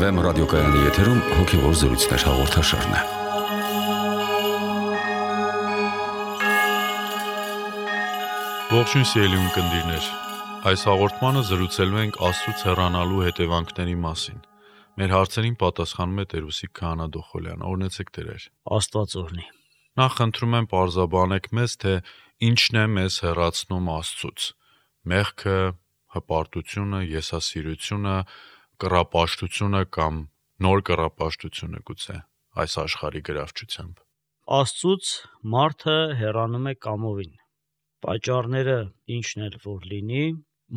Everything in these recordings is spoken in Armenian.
FM ռադիոկայանի եթերում հոգևոր զրույցներ հաղորդաշարն է։ Ողջույն սիրելի ունկնդիրներ, այս հաղորդմանը զրուցելու ենք Աստծուց հեռանալու հետևանքների մասին։ Մեր հարցերին պատասխանում է Տեր-Ուսիկ Քահանա Դոխոլյան։ Օրհնեցեք Տերեր։ Աստված օրհնի։ Նախ խնդրում եմ պարզաբանեք մեզ, թե ինչն է մեզ հեռացնում Աստծուց։ Մեղքը, հպարտությունը, եսասիրությունը, կռապաշտությունը կամ նոր կռապաշտությունը գուցե այս աշխարհի գրավչությամբ։ Աստծուց մարդը հեռանում է կամովին։ Պատճառները ինչն էլ որ լինի,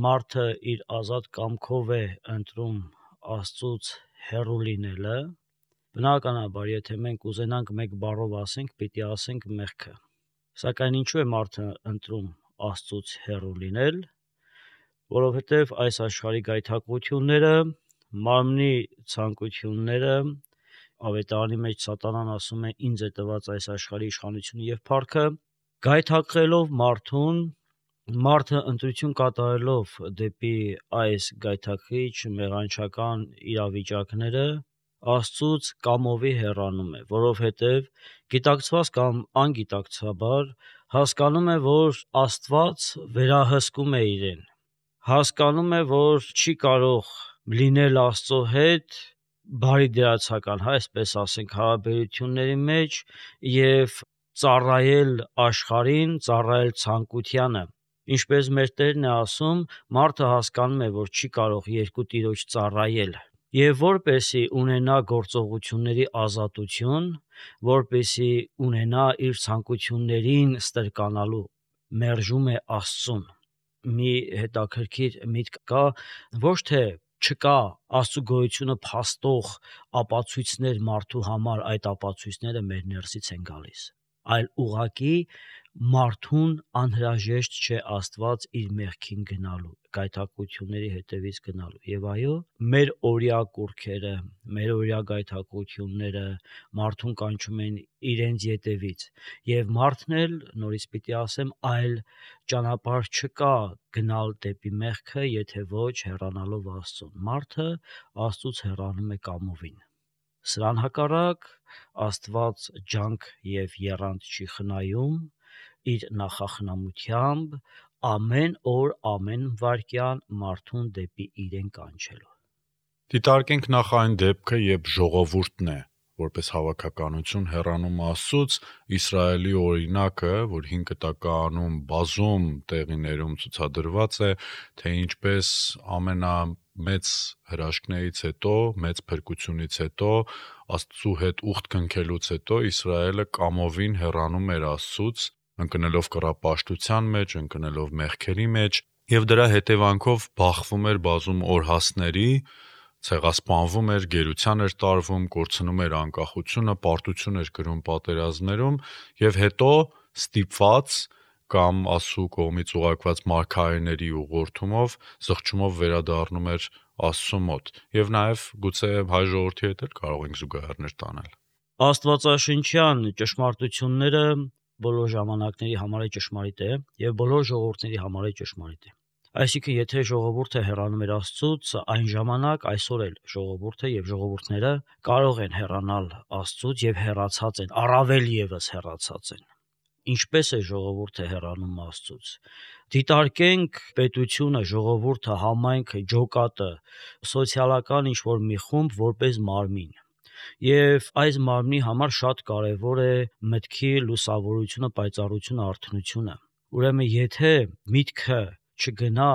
մարդը իր ազատ կամքով է ընտրում Աստծուց հեռու լինելը։ Բնականաբար, եթե մենք ուզենանք մեկ բառով ասենք, պիտի ասենք մեղքը։ Սակայն ինչու է մարդը ընտրում Աստծուց հեռու լինել, որովհետև այս աշխարհի գայթակղությունները, մարմնի ցանկությունները, ավետարանի մեջ սատանան ասում է ինձ է տված այս աշխարհի իշխանությունը եւ փառքը, գայթակղելով մարդուն, մարդը ընտրություն կատարելով դեպի այս գայթակղիչ մեղանչական իրավիճակները, Աստծուց կամովի հեռանում է, որովհետև գիտակցված կամ անգիտակցաբար հասկանում է, որ Աստված վերահսկում է իրեն, հասկանում է, որ չի կարող լինել Աստծո հետ բարի դերացական, այսպես ասենք, հարաբերությունների մեջ եւ ծառայել աշխարհին, ծառայել ցանկությանը։ Ինչպես մեր Տերն է ասում, մարդը հասկանում է, որ չի կարող երկու տիրոջ ծառայել։ Եվ որպեսի ունենա գործողությունների ազատություն, որպեսի ունենա իր ցանկություններին ստրկանալու, մերժում է Աստծուն։ Մի հետաքրքիր միտք կա, ոչ թե չկա Աստծո գոյությունը փաստող ապացույցներ մարդու համար, այդ ապացույցները մեր ներսից են գալիս, այլ ուղղակի մարդուն անհրաժեշտ չէ Աստված իր մեղքին գնալու, գայթակղությունների հետևից գնալու։ Եվ այո, մեր օրյա կուռքերը, մեր օրյա գայթակղությունները մարդուն կանչում են իրենց ետևից, եւ մարդն էլ, նորից պիտի ասեմ, այլ ճանապարհ չկա գնալ դեպի մեղքը, եթե ոչ հեռանալով Աստծուն։ Մարդը Աստծուց հեռանում է կամովին։ Սրան հակառակ Աստված ջանք եւ եռանդ չի խնայում իր նախախնամությամբ ամեն օր, ամեն վայրկյան մարդուն դեպի իրեն կանչելու։ Դիտարկենք նախ այն դեպքը, երբ ժողովուրդն է, որպես հավաքականություն հեռանում Աստծուց, Իսրայելի օրինակը, որ 5 կտակարանում բազում տեղիներում ցուցադրված է, թե ինչպես ամենամեծ հրաշքներից հետո, մեծ փրկությունից հետո, Աստծու հետ ուխտ քնքելուց հետո Իսրայելը կամովին հեռանում էր Աստծուց, ընկնելով կռապաշտության մեջ, ընկնելով մեղքերի մեջ, եւ դրա հետևանքով բախվում էր բազում օրհասների, ցեղասպանվում էր, գերության էր տարվում, կորցնում էր անկախությունը, պարտություն էր կրում պատերազմներում եւ հետո ստիպված կամ Աստծու կողմից ուղարկված մարգարեների ուղղորդումով, զղջումով վերադառնում էր Աստծու մոտ եւ նաեւ գուցե հայ ժողովրդի հետ էլ կարող ենք զուգահեռներ տանել։ Աստվածաշնչյան ճշմարտությունները բոլոր ժամանակների համար է ճշմարիտ է եւ բոլոր ժողովուրդների համար է ճշմարիտ է։ Այսինքն, եթե ժողովուրդը հեռանում էր Աստծուց, այն ժամանակ այսօր էլ ժողովուրդը եւ ժողովուրդները կարող են հեռանալ Աստծուց եւ հեռացած են, առավել եւս հեռացած են։ Ինչպես է ժողովուրդը հեռանում Աստծուց։ Դիտարկենք պետությունը, ժողովուրդը, համայնքը, ջոկատը, սոցիալական ինչ-որ մի խումբ որպես մարմին։ Եվ այս մարմնի համար շատ կարևոր է մտքի լուսավորությունը, պայծառությունը, արթնությունը։ Ուրեմն, եթե միտքը չգնա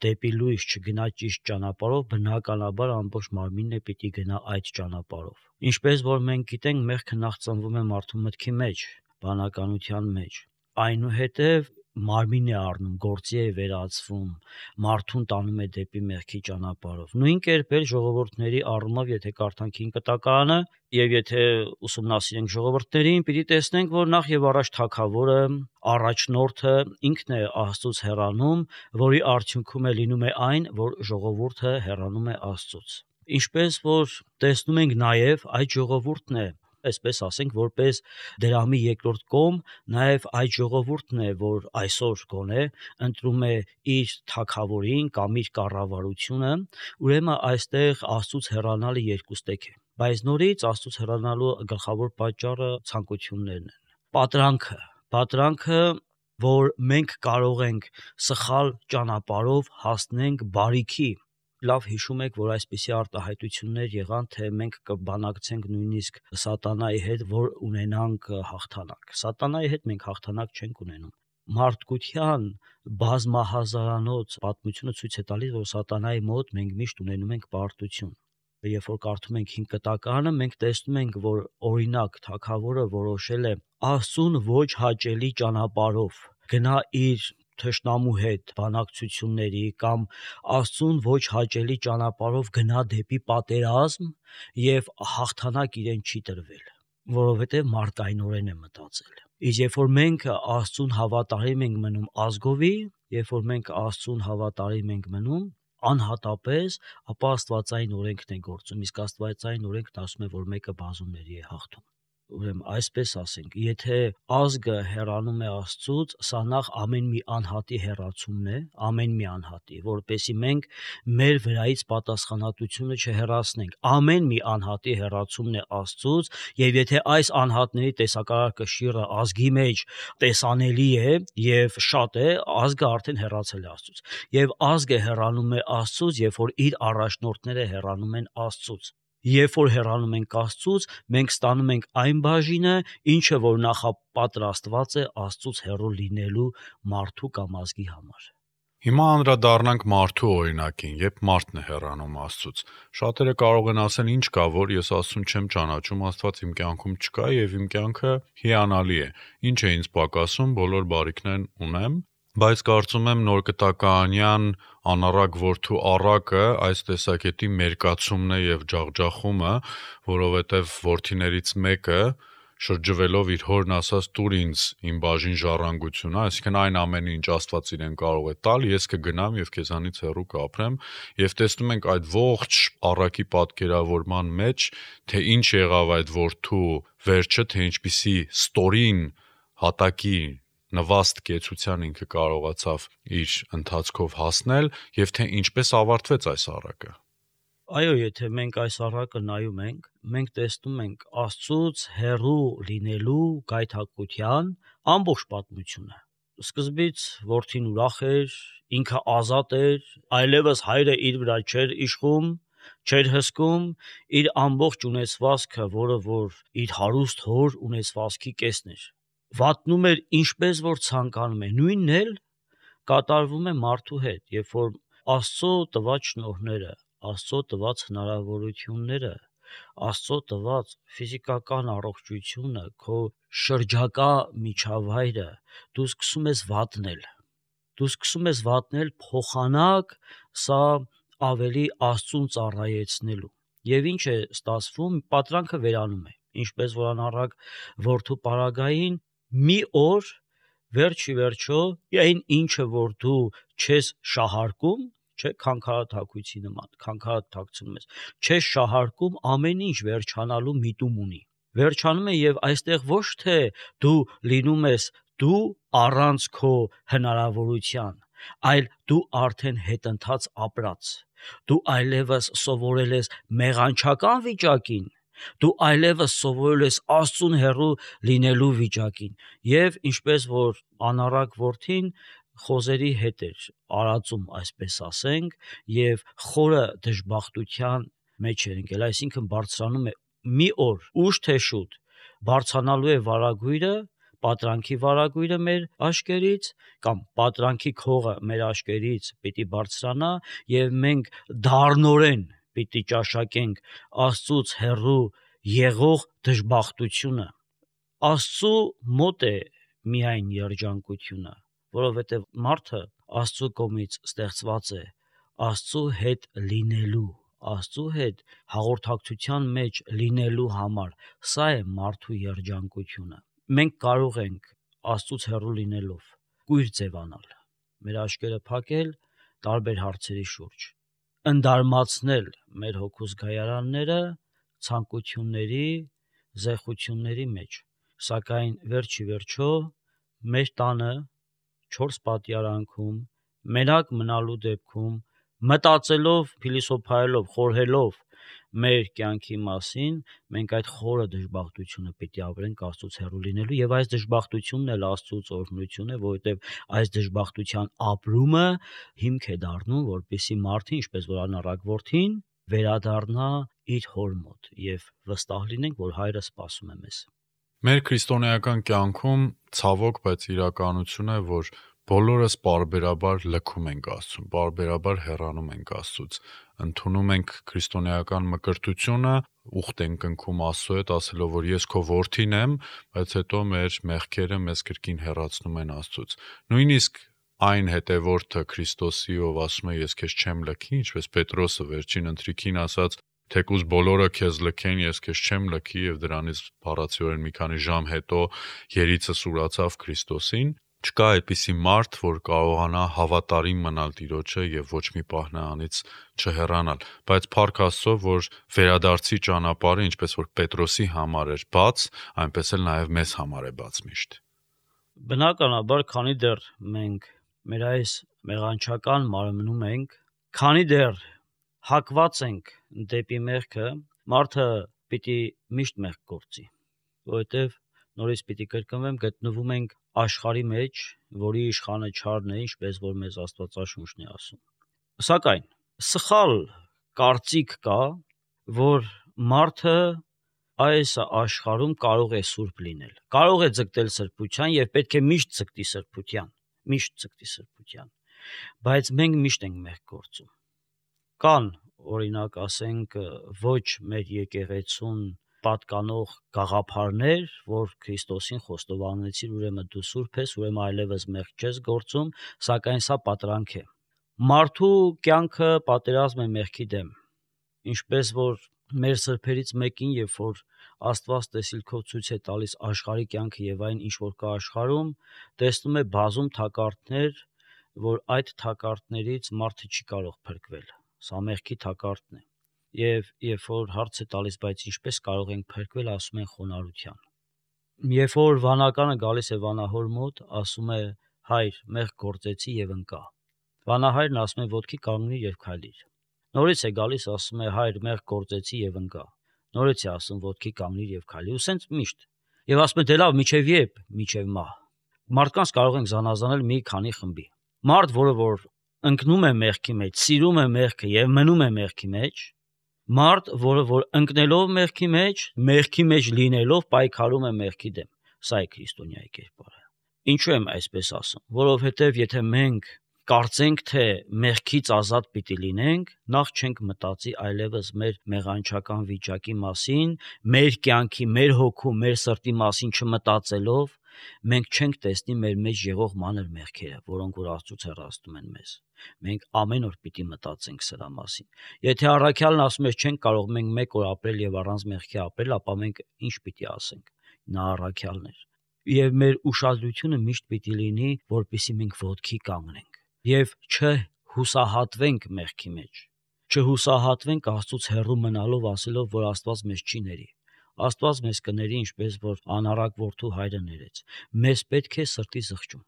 դեպի լույս, չգնա ճիշտ ճանապարհով, բնականաբար ամբողջ մարմինն է պիտի գնա այդ ճանապարհով։ Ինչպես որ մենք գիտենք, մեղքը նախ ծնվում է մարդու մտքի մեջ, բանականության մեջ, այնուհետև մարմին է առնում, գործի է վերածվում, մարդուն տանում է դեպի մեղքի ճանապարհով։ Նույն կերպ էլ ժողովուրդների առումով, եթե կարդանք 5 կտակարանը եւ եթե ուսումնասիրենք ժողովուրդներին, պիտի տեսնենք, որ նախ եւ առաջ թագավորը, առաջնորդը ինքն է Աստծուց հեռանում, որի արդյունքում է լինում է այն, որ ժողովուրդը հեռանում է Աստծուց։ Ինչպես որ տեսնում ենք նաեւ այդ ժողովուրդն է այսպես ասենք, որպես դրամի երկրորդ կողմ, նաև այդ ժողովուրդն է, որ այսօր գոնե ընտրում է իր թագավորին կամ իր կառավարությունը, ուրեմն այստեղ Աստծուց հեռանալը երկուստեք է։ Բայց նորից Աստծուց հեռանալու գլխավոր պատճառը ցանկություններն են։ Պատրանքը, որ մենք կարող ենք սխալ ճանապարհով հասնենք բարիքի։ Լավ հիշում եք, որ այսպիսի արտահայտություններ եղան, թե մենք կբանակցենք նույնիսկ սատանայի հետ, որ ունենանք հաղթանակ։ Սատանայի հետ մենք հաղթանակ չենք ունենում։ Մարդկության բազմահազարանոց պատմությունը ցույց է տալիս, որ սատանայի մոտ մենք միշտ ունենում ենք պարտություն։ Երբ որ կարդում ենք 5 կտակարանը, մենք տեսնում ենք, որ օրինակ թագավորը որոշել է Աստծուն ոչ հաճելի ճանապարհով գնա իր թշնամու հետ բանակցությունների կամ Աստծուն ոչ հաճելի ճանապարհով գնա դեպի պատերազմ եւ հաղթանակ իրեն չի տրվել, որովհետեւ մարդկայնորեն է մտածել։ Իսկ երբ որ մենք Աստծուն հավատարիմ ենք մնում ազգովի, երբ որ մենք Աստծուն հավատարիմ ենք մնում անհատապես, ապա աստվածային օրենքն է գործում, իսկ աստվածային օրենքն ասում է, որ մեկը բազումների է հաղթում։ Ուրեմն այսպես ասենք, եթե ազգը հեռանում է Աստծուց, սա նախ ամեն մի անհատի հեռացումն է, ամեն մի անհատի, որպեսզի մենք մեր վրայից պատասխանատվությունը չհեռացնենք։ Ամեն մի անհատի հեռացումն է Աստծուց, եւ եթե այս անհատների տեսակարար կշիռը ազգի մեջ տեսանելի է եւ շատ է, ազգը արդեն հեռացել է Աստծուց։ Եվ ազգը հեռանում է Աստծուց, երբ որ իր առաջնորդները հեռանում են Աստծուց։ Երբ որ հեռանում ենք Աստծուց, մենք ստանում ենք այն բաժինը, ինչը որ նախապատրաստված է Աստծուց հեռու լինելու մարդու կամ ազգի համար։ Հիմա անդրադառնանք մարդու օրինակին, երբ մարդն է հեռանում Աստծուց։ Շատերը կարող են ասել, ինչ կա, որ ես Աստծուն չեմ ճանաչում, Աստված իմ կյանքում չկա եւ իմ կյանքը հիանալի է։ Ինչ է ինձ պակասում, բոլոր բարիքներն ունեմ, բայց կարծում եմ նոր կտականյան անառակ որդու առակը այս տեսակետի մերկացումն է եւ ջախջախումը, որովհետեւ որդիներից մեկը շրջվելով իր հորն ասաց տուր ինձ իմ բաժին ժառանգությունը, այսինքն այն ամենը ինչ Աստված իրեն կարող է տալ, ես կգնամ եւ քեզանից հեռու կապրեմ եւ տեսնում ենք այդ ողջ առակի պատկերավորման մեջ, թե ինչ եղավ այդ որդու վերջը, թե ինչպիսի ստորին հատակի նվաստ կեցության ինքը կարողացավ իր ընթացքով հասնել եւ թե ինչպես ավարտվեց այս առակը։ Այո, եթե մենք այս առակը նայում ենք, մենք տեսնում ենք Աստծուց հեռու լինելու գայթակղության ամբողջ պատմությունը։ Սկզբից որդին ուրախ էր, ինքը ազատ էր, այլևս հայրը իր վրա չէր իշխում, չէր հսկում իր ամբողջ ունեցվածքը, որը որ իր հարուստ հոր ունեցվածքի կեսն էր։ Վատնում էր ինչպես որ ցանկանում է, նույնն էլ կատարվում է մարդու հետ, երբ որ Աստծո տված շնորհները, Աստծո տված հնարավորությունները, Աստծո տված ֆիզիկական առողջությունը, քո շրջակա միջավայրը դու սկսում ես վատնել, փոխանակ սա ավելի Աստծուն ծառայեցնելու։ Եվ ինչ է ստացվում, պատրանքը վերանում է, ինչպես որ անառակ որդու պարագային մի օր վերջի վերջո այն ինչը որ դու չես շահարկում, չէ, քանքարաթակույցի նման, քանքարաթակցնում ես, չես շահարկում, ամեն ինչ վերջանալու միտում ունի։ Վերջանում է եւ այստեղ ոչ թե դու լինում ես դու առանց քո հնարավորության, այլ դու արդեն հետընթաց ապրած։ Դու այլևս սովորել ես մեղանչական վիճակին, դու այլևս սովորել ես Աստծուն հեռու լինելու վիճակին եւ ինչպես որ անառակ որդին խոզերի հետ էր արածում, այսպես ասենք, եւ խորը դժբախտության մեջ էր ընկել, այսինքն բարձրանում է մի օր ուշ թե շուտ բարձրանալու է վարագույրը, պատրանքի վարագույրը մեր աշկերից կամ պատրանքի քողը մեր աշկերից պիտի բարձրանա եւ մենք դառնորեն պիտի ճաշակենք Աստծուց հեռու եղող դժբախտությունը։ Աստծու մոտ է միայն երջանկությունը, որովհետև մարդը Աստծու կողմից ստեղծված է Աստծու հետ լինելու, Աստծու հետ հաղորդակցության մեջ լինելու համար։ Սա է մարդու երջանկությունը։ Մենք կարող ենք Աստծուց հեռու լինելով կույր ձևանալ, մեր աշկերը փակել տարբեր հարցերի շուրջ, ընդարմացնել մեր հոգու զգայարանները ցանկությունների, զեղությունների մեջ, սակայն վերջի վերջո մեր տանը 4 պատյարանքում մենակ մնալու դեպքում մտածելով, փիլիսոփայելով, խորհելով մեր կյանքի մասին, մենք այդ խորը դժբախտությունը պիտի ապրենք Աստծուց հեռու լինելու, եւ այս դժբախտությունն էլ Աստծուց օրհնություն է, որովհետեւ այս դժբախտության ապրումը հիմք է դառնում, որպեսզի մարդը, ինչպես որ անառակ որդին, վերադառնա իր հոր մոտ եւ վստահ լինենք, որ հայրը սպասում է մեզ։ Մեր քրիստոնեական կյանքում ցավոք, բայց իրականություն է, որ բոլորս պարբերաբար լքում ենք Աստծուն, պարբերաբար հեռանում ենք Աստծուց, ընդունում ենք քրիստոնեական մկրտությունը, ուխտ ենք ընկում Աստծո հետ, ասելով, որ ես քո որդին եմ, բայց հետո մեր մեղքերը մեզ կրկին հեռացնում են Աստծուց։ Նույնիսկ այն հետևորդը Քրիստոսի, ով ասում է ես քեզ չեմ լքի, ինչպես Պետրոսը վերջին ընթրիքին ասաց, թեկուզ բոլորը քեզ լքեն, ես քեզ չեմ լքի, եւ դրանից բառացիորեն մի քանի ժամ հետո երիցը սուրացավ Քրիստոսին։ Չկա այդպիսի մարդ, որ կարողանա հավատարիմ մնալ Տիրոջը եւ ոչ մի պահ նրանից չհեռանալ, բայց փառք Աստծո, որ վերադարձի ճանապարհը, ինչպես որ Պետրոսի համար էր բաց, այնպես էլ նաեւ մեզ համար է բաց միշտ։ Բնականաբար, քանի դեռ մենք մեր այս մեղանչական մարմնում ենք, քանի դեռ հակված ենք դեպի մեղքը, մարդը պիտի միշտ մեղք գործի, որովհետեւ նորից պիտի կրկնվեմ, գտնվում ենք աշխարհի մեջ, որի իշխանը չարն է, ինչպես որ մեզ Աստվածաշունչն է ասում։ Սակայն սխալ կարծիք կա, որ մարդը այս աշխարհում կարող է սուրբ լինել, կարող է ձգտել սրբության եւ պետք է միշտ ձգտի սրբության, բայց մենք միշտ ենք մեղք գործում։ Կան, օրինակ ասենք, ոչ մեր եկեղեցուն պատկանող գաղափարներ, որ Քրիստոսին խոստովանեցիր, ուրեմն դու սուրբ ես, ուրեմն այլևս մեղք չես գործում, սակայն սա պատրանք է։ Մարդու կյանքը պատերազմ է մեղքի դեմ, ինչպես որ մեր սրբերից մեկին, երբ որ Աստված տեսիլքով ցույց է տալիս աշխարհի կյանքը եւ այն, ինչ որ կա աշխարհում, տեսնում է բազում թակարդներ, որ այդ թակարդներից մարդը չի կարող փրկվել։ Սա մեղքի թակարդն է։ Եվ երբ որ հարց է տալիս, բայց ինչպես կարող ենք փրկվել, ասում են խոնարհության։ Երբ որ վանականը գալիս է վանահոր մոտ, ասում է հայր, մեղք գործեցի եւ ընկա։ Վանահայրն ասում է ոտքի կանգնիր եւ քայլիր։ Նորից է գալիս, ասում է հայր, մեղք գործեցի եւ ընկա։ Նորից է ասում ոտքի կանգնիր եւ քայլիր, ու սենց միշտ։ Եվ ասում է դե լավ, միջև երբ, միջև մահ։ Մարդկանց կարող ենք զանազանել մի քանի խմբի։ Մարդ, որը որ ընկնում է մեղքի մեջ, սիրում է մեղքը եւ մնում է մեղքի մեջ, մարդ, որը որ ընկնելով մեղքի մեջ լինելով պայքարում է մեղքի դեմ։ Սա է քրիստոնյայի կերպարը։ Ինչու եմ այսպես ասում? Որովհետեւ եթե մենք կարծենք, թե մեղքից ազատ պիտի լինենք, նախ չենք մտածի այլևս մեր մեղանչական վիճակի մասին, մեր կյանքի, մեր հոգու, մեր սրտի մասին չմտածելով, մենք չենք տեսնի մեր մեջ եղող մանր մեղքերը, որոնք որ Աստծուց հեռացնում են մեզ։ Մենք ամեն օր պիտի մտածենք սրա մասին։ Եթե առաքյալն ասում է չենք կարող մենք մեկ օր ապրել եւ առանց մեղքի ապրել, ապա մենք ինչ պիտի ասենք։ Նա առաքյալն էր։ Եվ մեր ուշադրությունը միշտ պիտի լինի, որպեսզի մենք ոտքի կանգնենք եւ չհուսահատվենք մեղքի մեջ։ Չհուսահատվենք Աստծուց հեռու մնալով, ասելով, որ Աստված մեզ չի ների։ Աստված մեզ կների, ինչպես որ անառակ որդու հայրը ներեց։ Մեզ պետք է սրտի զղջում,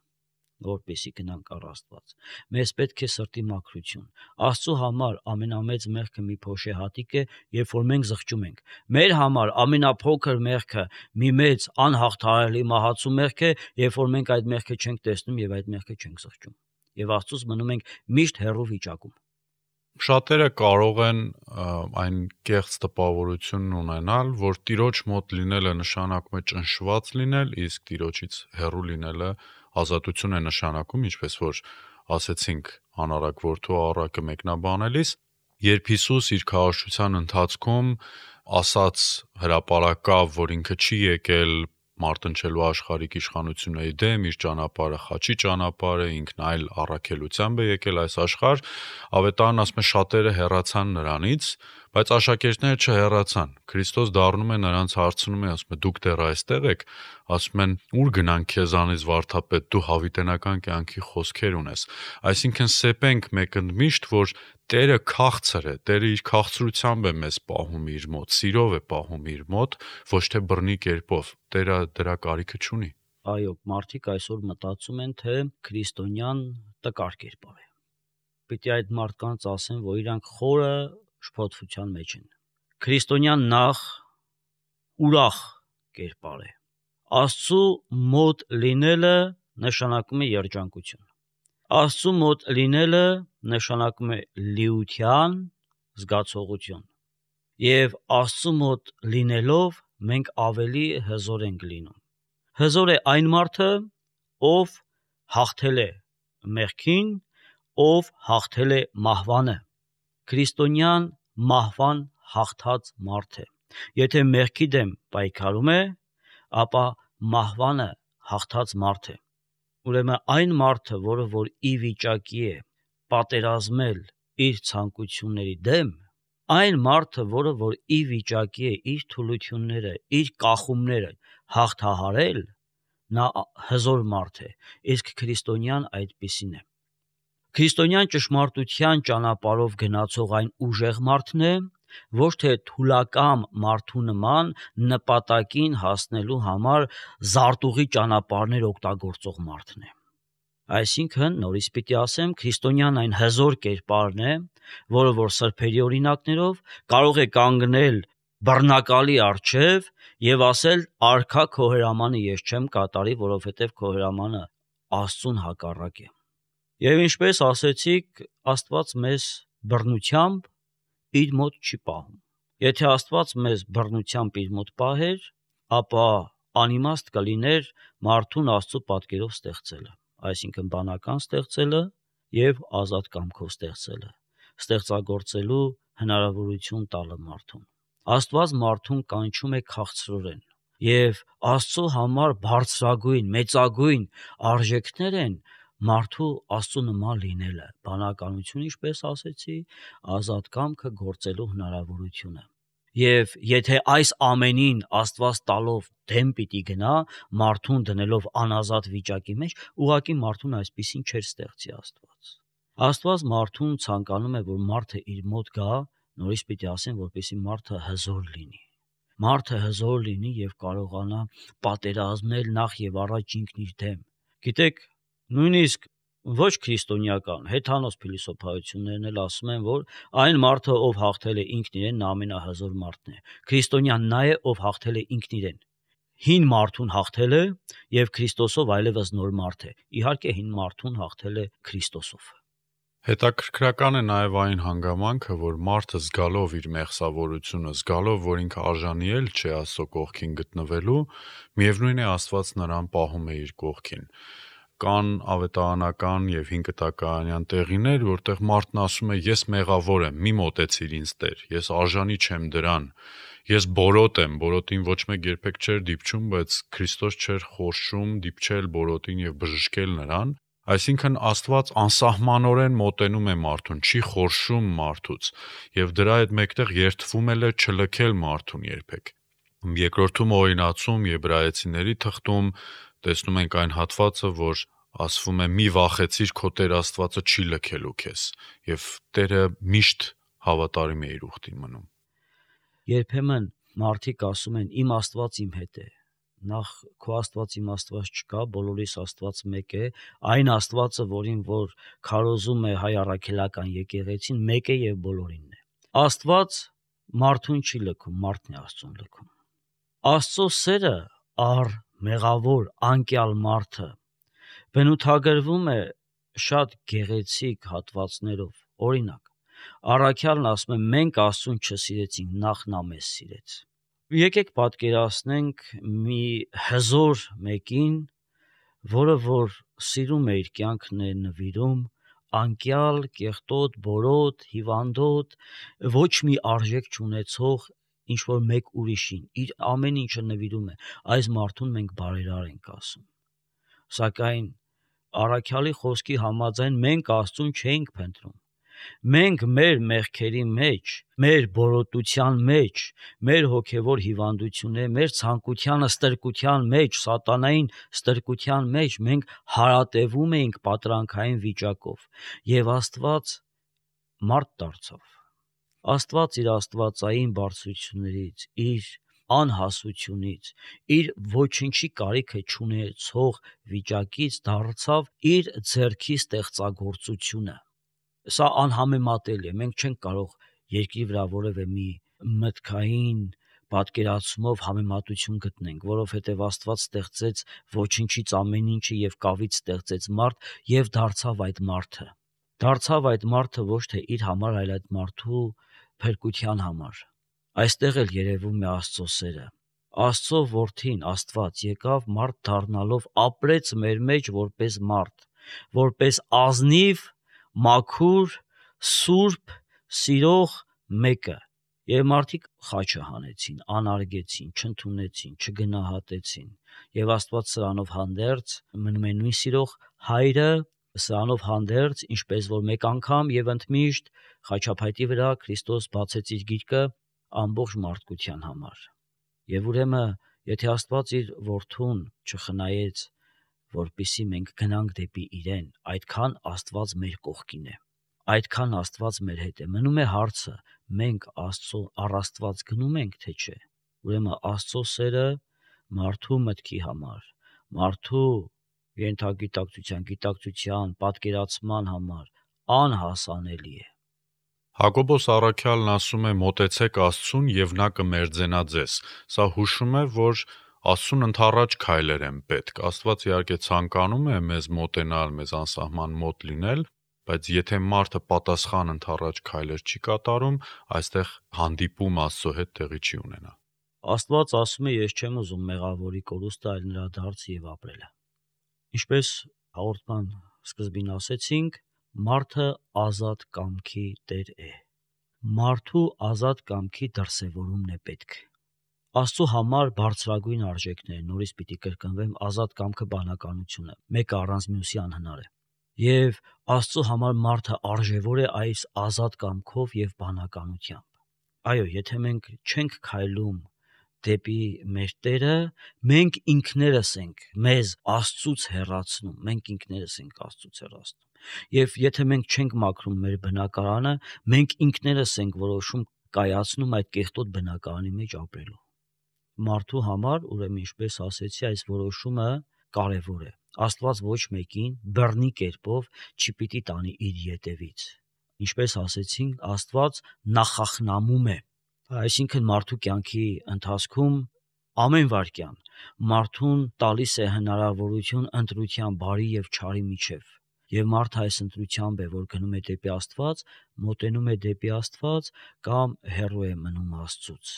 որպեսզի գնանք առ Աստված։ Մեզ պետք է սրտի մաքրություն։ Աստծո համար ամենամեծ մեղքը մի փոշեհատիկ է, երբ որ մենք զղջում ենք։ Մեր համար ամենափոքր մեղքը մի մեծ անհաղթահարելի մահացու մեղք է, երբ որ մենք այդ մեղքը չենք տեսնում եւ այդ մեղքը չենք զղջում։ Եվ Աստծուց մնում ենք միշտ հեռու վիճակում։ Շատերը կարող են այն կեղծ տպավորությունն ունենալ, որ Տիրոջ մոտ լինելը նշանակում է ճնշված լինել, իսկ Տիրոջից հեռու լինելը ազատություն է նշանակում, ինչպես որ ասեցինք անառակ որդու առակը մեկնաբանելիս, երբ Հիսուս իր քարոզչության ընթացքում ասաց հրապարակավ, որ ինքը չի եկել մարտնչելու աշխարհիկ իշխանությունների դեմ, իր ճանապարհը խաչի ճանապարհ է, ինքն այլ առաքելությամբ է եկել այս աշխարհ, ավետարանն ասում է շատերը հեռացան նրանից, բայց աշակերտները չհեռացան։ Քրիստոս դառնում է նրանց հարցնում է, ասում է դուք դեռ այստեղ եք, ասում են ուր գնանք քեզանից վարդապետ, դու հավիտենական կյանքի խոսքեր ունես։ Այսինքն սեպենք մեկ ընդմիշտ, որ Տերը քաղցր է, Տերը իր քաղցրությամբ է մեզ պահում իր մոտ, սիրով է պահում իր մոտ, ոչ թե բռնի կերպով։ Տերը դրա կարիքը չունի։ Այո, մարդիկ այսօր մտածում են, թե քրիստոնյան տկար կերպար է։ Պիտի այդ մարդկանց ասեմ, որ իրանք խորը շփոթության մեջ են։ Քրիստոնյան նախ ուրախ կերպար է։ Աստծու մոտ լինելը նշանակում է երջանկություն։ Աստծու մոտ լինելը նշանակում է լիության զգացողություն։ Եվ Աստծու մոտ լինելով մենք ավելի հզոր ենք լինում։ Հզոր է այն մարդը, ով հաղթել է մեղքին, ով հաղթել է մահվանը։ Քրիստոնյան մահվան հաղթած մարդ է։ Եթե մեղքի դեմ պայքարում է, ապա մահվանը հաղթած մարդ է։ Ուրեմն այն մարդը, որը որ ի վիճակի է պատերազմել իր ցանկությունների դեմ, այն մարդը, որը որ ի վիճակի է իր թուլությունները, իր կախումները հաղթահարել, նա հզոր մարդ է, իսկ քրիստոնյան այդպիսին է։ Քրիստոնյան ճշմարտության ճանապարհով գնացող այն ուժեղ մարդն է, ոչ թե թուլակամ մարդու նման նպատակին հասնելու համար զարտուղի ճանապարհներ օգտագործող մարդն է։ Այսինքն, նորից պիտի ասեմ, քրիստոնյան այն հզոր կերպարն է, որը որ սրբերի օրինակներով կարող է կանգնել բռնակալի առջև եւ ասել արքա քո հրամանը ես չեմ կատարի, որովհետեւ քո հրամանը Աստծուն հակառակ է։ Եվ ինչպես ասեցիք, Աստված մեզ բռնությամբ իր մոտ չի պահում։ Եթե Աստված մեզ բռնությամբ իր մոտ պահեր, ապա անիմաստ կլիներ մարդուն Աստծո պատկերով ստեղծելը, այսինքն բանական ստեղծելը եւ ազատ կամքով ստեղծելը, ստեղծագործելու հնարավորություն տալը մարդուն։ Աստված մարդուն կանչում է քաղցրորեն, եւ Աստծո համար բարձրագույն, մեծագույն արժեքներ են մարդու Աստծո նման լինելը, բանականություն, ինչպես ասեցի, ազատ կամքը գործելու հնարավորությունը։ Եվ եթե այս ամենին Աստված տալով դեմ պիտի գնա, մարդուն դնելով անազատ վիճակի մեջ, ուղղակի մարդուն այսպեսին չէր ստեղծի Աստված։ Աստված մարդուն ցանկանում է, որ մարդը իր մոտ գա, նորից պիտի ասեմ, որպեսզի մարդը հզոր լինի։ Մարդը հզոր լինի եւ կարողանա պատերազմել նախ եւ առաջ ինքն իր դեմ։ Գիտեք, նույնիսկ ոչ քրիստոնեական հեթանոս փիլիսոփայություններն էլ ասում են, որ այն մարդը, ով հաղթել է ինքն իրեն, նա ամենահզոր մարդն է։ Քրիստոնյան նա է, ով հաղթել է ինքն իրեն։ Հին մարդուն հաղթել է եւ Քրիստոսով այլևս նոր մարդ է։ Իհարկե հին մարդուն հաղթել է Քրիստոսով։ Հետաքրքրական է նաև այն հանգամանքը, որ մարդը զգալով իր մեղսավորությունը, զգալով, որ ինքը արժանի էլ չէ Աստծո կողքին գտնվելու, միևնույն է Աստված նրան պահում է իր կողքին։ Կան ավետարանական եւ հինկտակարանյան տեղիներ, որտեղ մարդն ասում է՝ ես մեղավոր եմ, մի մոտեցիր ինձ Տեր, ես արժանի չեմ դրան, ես բորոտ եմ, բորոտին ոչ մեկ երբեք չէր դիպչում, բայց Քրիստոս չէր խորշում դիպչել բորոտին եւ բժշկել նրան։ Այսինքն Աստված անսահմանորեն մոտենում է մարդուն, չի խորշում մարդուց եւ դրա հետ մեկտեղ երդվում է չլքել մարդուն երբեք։ Երկրորդում օրինացում Եբրայեցիների թղթում տեսնում ենք այն հատվածը, որ ասվում է՝ մի վախեցիր, քո Տեր Աստվածը չի լքելու քեզ, եւ Տերը միշտ հավատարիմ է իր ուխտին մնում։ Երբեմն մարդիկ ասում են՝ իմ Աստված իմ հետ է։ Նախ քո Աստված իմ Աստված չկա, բոլորիս Աստված մեկ է, այն Աստվածը, որին որ քարոզում է հայ առաքելական եկեղեցին, մեկ է եւ բոլորինն է։ Աստված մարդուն չի լքում, մարդն է Աստծուն լքում։ Աստծո սերը առ մեղավոր անկյալ մարդը բնութագրվում է շատ գեղեցիկ հատվածներով։ Օրինակ, առաքյալն ասում է՝ մենք Աստծուն չսիրեցինք, նախ նա մեզ սիրեց։ Եկեք պատկերացնենք մի հզոր մեկին, որը որ սիրում է իր կյանքն է նվիրում անկյալ, կեղտոտ, բորոտ, հիվանդոտ, ոչ մի արժեք չունեցող ինչ որ մեկ ուրիշին, իր ամեն ինչը նվիրում է, այս մարդուն մենք բարերար ենք ասում։ Սակայն առաքյալի խոսքի համաձայն մենք Աստծուն չէինք փնտրում։ Մենք մեր մեղքերի մեջ, մեր բորոտության մեջ, մեր հոգևոր հիվանդությունների, մեր ցանկությանը ստրկության մեջ, սատանային ստրկության մեջ մենք հարատևում էինք պատրանքային վիճակով, եւ Աստված մարդ դարձավ։ Աստված իր աստվածային բարձրություններից, իր անհասությունից, իր ոչինչի կարիքը չունեցող վիճակից դարձավ իր ձեռքի ստեղծագործությունը։ Սա անհամեմատելի է, մենք չենք կարող երկրի վրա որևէ մի մտքային պատկերացումով համեմատություն գտնենք, որովհետև Աստված ստեղծեց ոչինչից ամեն ինչը եւ կավից ստեղծեց մարդ եւ դարձավ այդ մարդը։ Դարձավ այդ մարդը ոչ թե իր համար, այլ այդ մարդու փրկության համար։ Այստեղ էլ երևում է Աստծո սերը։ Աստծո որդին Աստված եկավ մարդ դառնալով ապրեց մեր մեջ որպես մարդ, որպես ազնիվ, մաքուր, սուրբ, սիրող մեկը։ Եվ մարդիկ խաչը հանեցին, անարգեցին, չընդունեցին, չգնահատեցին։ Եվ Աստված սրանով հանդերձ մնում է նույն սիրող հայրը, սրանով հանդերձ, ինչպես որ մեկ անգամ եւ ընդմիշտ խաչափայտի վրա Քրիստոս բացեց իր գիրկը ամբողջ մարդկության համար։ Եվ ուրեմն, եթե Աստված իր որդուն չխնայեց, որպեսզի մենք գնանք դեպի իրեն, այդքան Աստված մեր կողքին է։ Այդքան Աստված մեր հետ է։ Մնում է հարցը, մենք Աստծո առ Աստված գնում ենք, թե չէ։ Ուրեմն Աստծո սերը մարդու մտքի համար, մարդու գիտակցության, պատկերացման համար անհասանելի է։ Հակոբոս առաքյալն ասում է. «Մոտեցեք Աստծուն եւ նա կմերձենա ձեզ»։ Սա հուշում է, որ Աստծուն ընդառաջ քայլեր են պետք։ Աստված իհարկե ցանկանում է մեզ մոտենալ, մեզ անսահման մոտ լինել, բայց եթե մարդը պատասխան ընդառաջ քայլեր չի կատարում, այստեղ հանդիպում Աստծո հետ տեղի չի ունենա։ Աստված ասում է. «Ես չեմ ուզում մեղավորի կորուստը, այլ նրա դարձը եւ ապրելը»։ Ինչպես հաղորդման սկզբին ասեցինք, մարդը ազատ կամքի տեր է։ Մարդու ազատ կամքի դրսևորումն է պետք։ Աստծո համար բարձրագույն արժեքներ, նորից պիտի կրկնվեմ, ազատ կամքը բանականությունը, մեկը առանց մյուսի անհնար է։ Եվ Աստծո համար մարդը արժևոր է այս ազատ կամքով եւ բանականությամբ։ Այո, եթե մենք չենք քայլում դեպի մեր Տերը, մենք ինքներս ենք մեզ Աստծուց հեռացնում, մենք ինքներս ենք Աստծուց հեռացնում։ Եվ եթե մենք չենք մաքրում մեր բնակարանը, մենք ինքներս ենք որոշում կայացնում այդ կեղտոտ բնակարանի մեջ ապրելու։ Մարդու համար, ուրեմն ինչպես ասեցի, այս որոշումը կարևոր է։ Աստված ոչ մեկին բռնի կերպով չպիտի տանի իր ետևից։ Ինչպես ասեցինք, Աստված նախախնամում է, այսինքն մարդու կյանքի ընթացքում ամեն վայրկյան մարդուն տալիս է հնարավորություն ընտրության բարի եւ չարի միջև։ Եվ մարդը այս ընտրությամբ է, որ գնում է դեպի Աստված, մոտենում է դեպի Աստված կամ հեռու է մնում Աստծուց։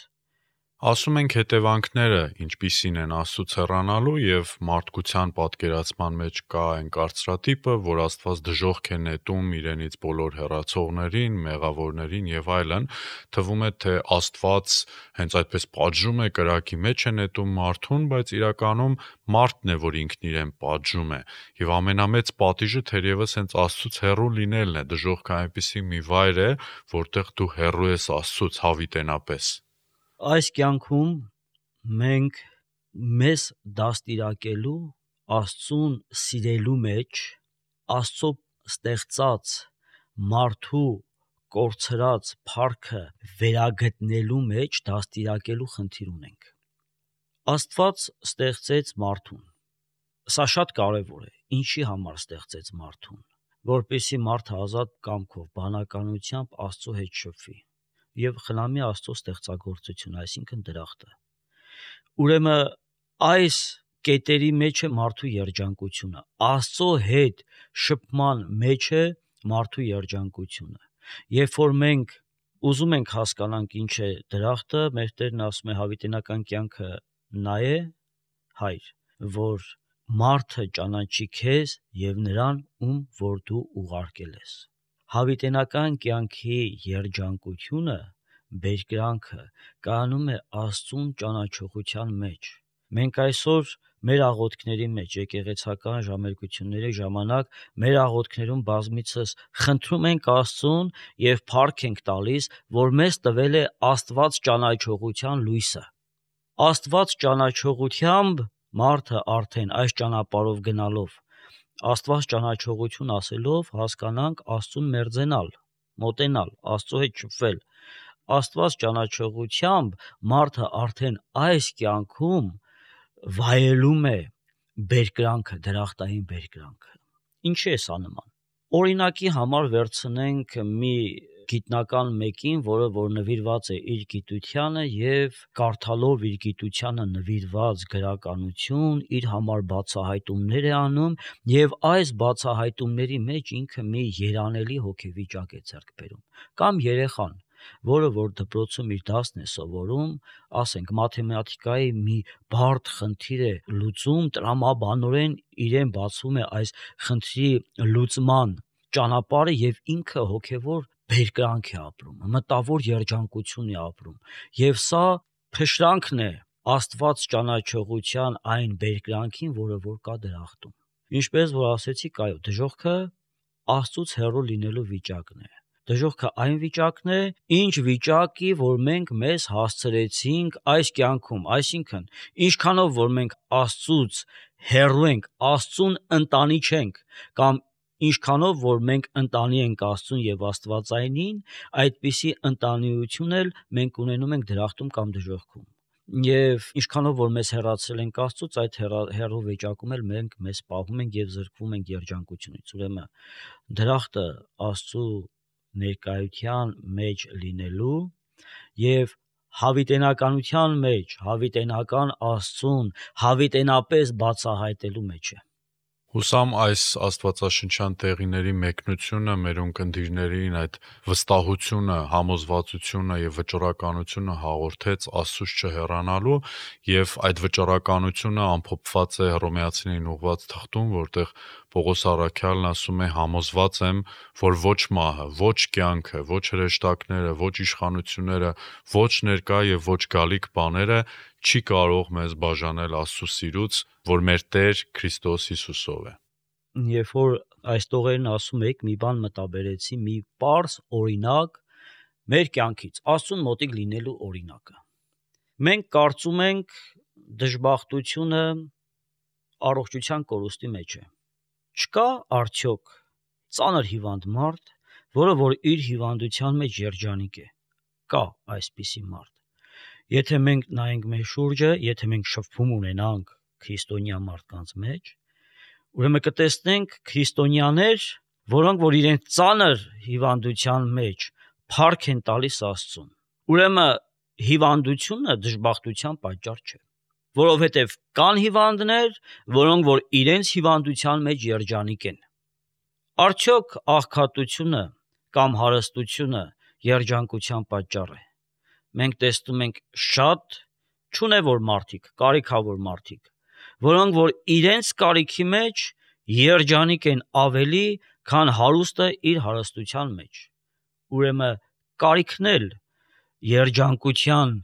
Ասում ենք հետևանքները ինչպիսին են Աստծուց հեռանալու եւ մարդկության պատկերացման մեջ կա այն կարծրատիպը, որ Աստված դժոխք է նետում իրենից բոլոր հեռացողներին, մեղավորներին եւ այլն, թվում է թե Աստված հենց այդպես պատժում է, կրակի մեջ է նետում մարդուն, բայց իրականում մարդն է, որ ինքն իրեն պատժում է։ Եվ ամենամեծ պատիժը թերևս հենց Աստծուց հեռու լինելն է։ Դժոխքը այնպիսի մի վայր է, որտեղ դու հեռու ես Աստծուց հավիտենապես։ Այս կյանքում մենք մեզ դաստիարակելու, Աստծուն սիրելու մեջ, Աստծո ստեղծած մարդու կորցրած փառքը վերագտնելու մեջ դաստիարակելու խնդիր ունենք։ Աստված ստեղծեց մարդուն։ Սա շատ կարևոր է։ Ինչի համար ստեղծեց մարդուն։ Որպեսզի մարդը ազատ կամքով, բանականությամբ Աստծո հետ շփվի եւ խնամի Աստծո ստեղծագործությունը, այսինքն դրախտը։ Ուրեմն այս կետերի մեջ է մարդու երջանկությունը։ Աստծո հետ շփման մեջ է մարդու երջանկությունը։ Երբ որ մենք ուզում ենք հասկանանք ինչ է դրախտը, մեր Տերն ասում է հավիտենական կյանքը նա է, Հայր, որ մարդը ճանաչի քեզ եւ նրան, ում որ դու ուղարկել ես։ Հավիտենական կյանքի երջանկությունը, բերկրանքը կայանում է Աստծուն ճանաչողության մեջ։ Մենք այսօր մեր աղոթքների մեջ, եկեղեցական ժամերգությունների ժամանակ, մեր աղոթքներում բազմիցս խնդրում ենք Աստծուն եւ փառք ենք տալիս, որ մեզ տվել է Աստված ճանաչողության լույսը։ Աստված ճանաչողությամբ մարդը արդեն այս ճանապարհով գնալով, Աստված ճանաչողություն ասելով հասկանանք Աստծուն մերձենալ, մոտենալ, Աստծո հետ շփվել, Աստված ճանաչողությամբ մարդը արդեն այս կյանքում վայելում է բերկրանքը, դրախտային բերկրանքը։ Ինչի է սա նման։ Օրինակի համար վերցնենք մի գիտնական մեկին, որը որ նվիրված է իր գիտությանը եւ կարդալով իր գիտությանը նվիրված գրականություն, իր համար բացահայտումներ է անում եւ այս բացահայտումների մեջ ինքը մի երանելի հոգեվիճակ է ձեռք բերում։ Կամ երեխան, որը որ դպրոցում իր դասն է սովորում, ասենք մաթեմատիկայի մի բարդ խնդիր է լուծում, տրամաբանորեն իրեն բացվում է այս խնդրի լուծման ճանապարհը եւ ինքը հոգեվոր բերկրանք է ապրում, մտավոր երջանկություն է ապրում եւ սա փշրանքն է Աստված ճանաչողության այն բերկրանքին, որը որ կա դրախտում։ Ինչպես որ ասեցիք, այո, դժոխքը Աստծուց հեռու լինելու վիճակն է։ Դժոխքը այն վիճակն է, ինչ վիճակի, որ մենք մեզ հասցրեցինք այս կյանքում, այսինքն, ինչքանով որ մենք Աստծուց հեռու ենք, Աստծուն ընտանի չենք, կամ ինչքանով որ մենք ընտանի ենք Աստծուն եւ Աստվածայինին, այդպիսի ընտանիություն էլ մենք ունենում ենք դրախտում կամ դժոխքում։ Եվ ինչքանով որ մեզ հեռացրել ենք Աստծուց, այդ հեռու վիճակում էլ մենք մեզ պահում ենք եւ զրկվում ենք երջանկությունից։ Ուրեմն դրախտը Աստծու ներկայության մեջ լինելու եւ հավիտենականության մեջ, հավիտենական Աստծուն հավիտենապես բացահայտելու մեջ է։ Հուսամ այս աստվածաշնչյան տեղիների մեկնությունը մեր ունկնդիրներին այդ վստահությունը, համոզվածությունը եւ վճռականությունը հաղորդեց Աստծուց չհեռանալու եւ այդ վճռականությունը ամփոփված է Հռոմեացիներին ուղված թղթում, որտեղ Պողոս առաքյալն ասում է. համոզված եմ, որ ոչ մահը, ոչ կյանքը, ոչ հրեշտակները, ոչ իշխանությունները, ոչ ներկա եւ ոչ գալիք բաները չի կարող մեզ բաժանել Աստծո սիրուց, որ մեր Տեր Քրիստոս Հիսուսով է։ Երբ որ այս տողերն ասում եք, մի բան մտաբերեցի, մի պարզ օրինակ մեր կյանքից, Աստծուն մոտիկ լինելու օրինակը։ Մենք կարծում ենք դժբախտությունը առողջության կորուստի մեջ է։ Չկա արդյոք ծանր հիվանդ մարդ, որը որ իր հիվանդության մեջ երջանիկ է։ Կա այսպիսի մարդ։ Եթե մենք նայենք մեր շուրջը, եթե մենք շփում ունենանք քրիստոնյա մարդկանց մեջ, ուրեմն կտեսնենք քրիստոնյաներ, որոնք որ իրենց ծանր հիվանդության մեջ փառք են տալիս Աստծուն։ Ուրեմն հիվանդությունը դժբախտության պատճառ չէ, որովհետև կան հիվանդներ, որոնք որ իրենց հիվանդության մեջ երջանիկ են։ Արդյոք աղքատությունը կամ հարստությունը երջանկության պատճառ է։ Մենք տեսնում ենք շատ չունևոր մարդիկ, կարիքավոր մարդիկ, որոնք որ իրենց կարիքի մեջ երջանիկ են ավելի, քան հարուստը իր հարստության մեջ։ Ուրեմն կարիքն էլ երջանկության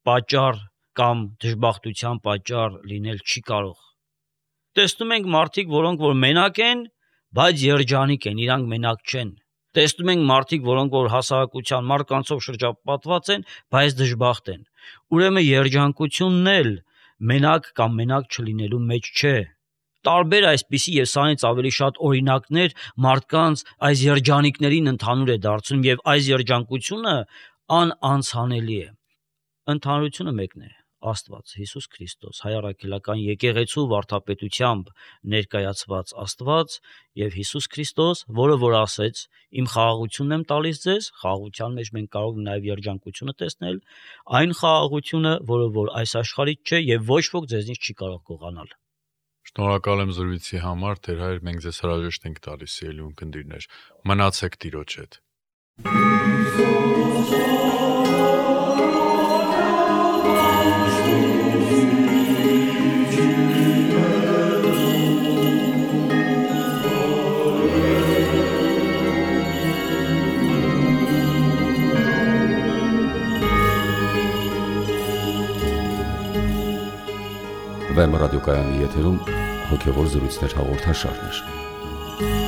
պատճառ կամ դժբախտության պատճառ լինել չի կարող։ Տեսնում ենք մարդիկ, որոնք որ մենակ են, բայց երջանիկ են, իրանք մենակ չեն։ Տեսնում ենք մարդիկ, որոնք որ հասարակության մարկանցով շրջապատված են, բայց դժբախտ են։ Ուրեմն երջանկությունն էլ մենակ կամ մենակ չլինելու մեջ չէ։ Տարբեր այսպիսի եւ սրանից ավելի շատ օրինակներ մարդկանց այս երջանիկներին ընդհանուր է դարձնում եւ այս երջանկությունը անանցանելի է։ Ընդհանրությունը մեկն է՝ Աստված, Հիսուս Քրիստոս, հայ առաքելական եկեղեցու վարդապետությամբ ներկայացված Աստված եւ Հիսուս Քրիստոս, որը որ ասեց. իմ խաղաղությունն եմ տալիս ձեզ, խաղաղության մեջ մենք կարող ենք նաեւ երջանկությունը տեսնել, այն խաղաղությունը, որը որ այս աշխարհից չէ եւ ոչ ոք ձեզնից չի կարող գողանալ։ Շնորհակալ եմ զրույցի համար, Տեր հայր, մենք ձեզ հրաժեշտ ենք տալիս, սիրելի ունկնդիրներ։ Մնացեք Տիրոջ հետ։ Վեմ ռադիոկայանի եթերում հոգևոր զրույցներ հաղորդաշարներ։